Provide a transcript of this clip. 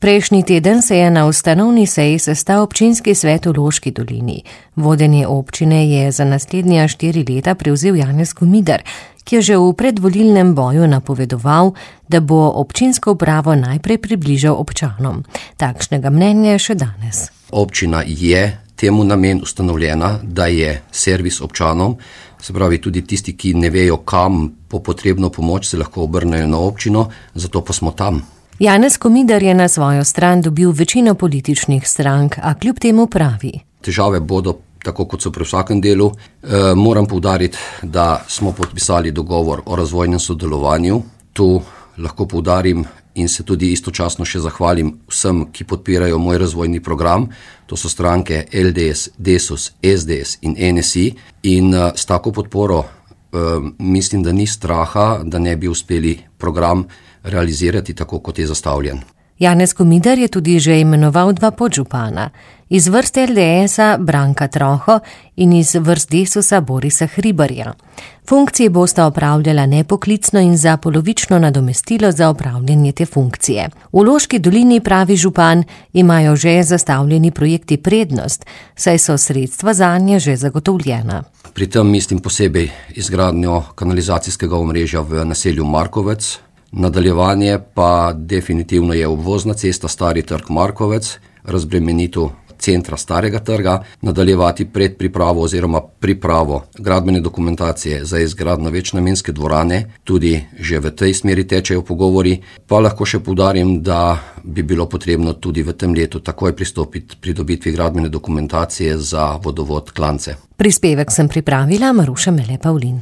Prejšnji teden se je na ustanovni seji sestal občinski svet v Loški dolini. Vodenje občine je za naslednja 4 leta prevzel Janez Komidar, ki je že v predvolilnem boju napovedoval, da bo občinsko upravo najprej približal občanom. Takšnega mnenja je še danes. Občina je temu namen ustanovljena, da je servis občanom, se pravi tudi tisti, ki ne vejo, kam po potrebno pomoč, se lahko obrnejo na občino, zato pa smo tam. Janez Komidar je na svojo stran dobil večino političnih strank, a kljub temu pravi. Težave bodo, tako kot so pri vsakem delu. Moram poudariti, da smo podpisali dogovor o razvojnem sodelovanju. Tu lahko poudarim in se tudi istočasno še zahvalim vsem, ki podpirajo moj razvojni program. To so stranke LDS, Desus, SDS in NSI. In s tako podporo mislim, da ni straha, da ne bi uspeli program realizirati tako, kot je zastavljen. Janez Komidar je tudi že imenoval 2 podžupana. Iz vrst LDS-a Branka Troho in iz vrst Desusa Borisa Hribarja. Funkcije bosta opravljala nepoklicno in za polovično nadomestilo za opravljanje te funkcije. V Loški dolini, pravi župan, imajo že zastavljeni projekti prednost, saj so sredstva zanje že zagotovljena. Pri tem mislim posebej izgradnjo kanalizacijskega omrežja v naselju Markovec. Nadaljevanje pa definitivno je obvozna cesta Stari trg Markovec, razbremenitev centra Starega trga, nadaljevati predpripravo oziroma pripravo gradbene dokumentacije za izgradnjo večnamenske dvorane, tudi že v tej smeri tečejo pogovori, pa lahko še poudarim, da bi bilo potrebno tudi v tem letu takoj pristopiti pridobitvi gradbene dokumentacije za vodovod Klance. Prispevek sem pripravila Maruša Mele Pavlin.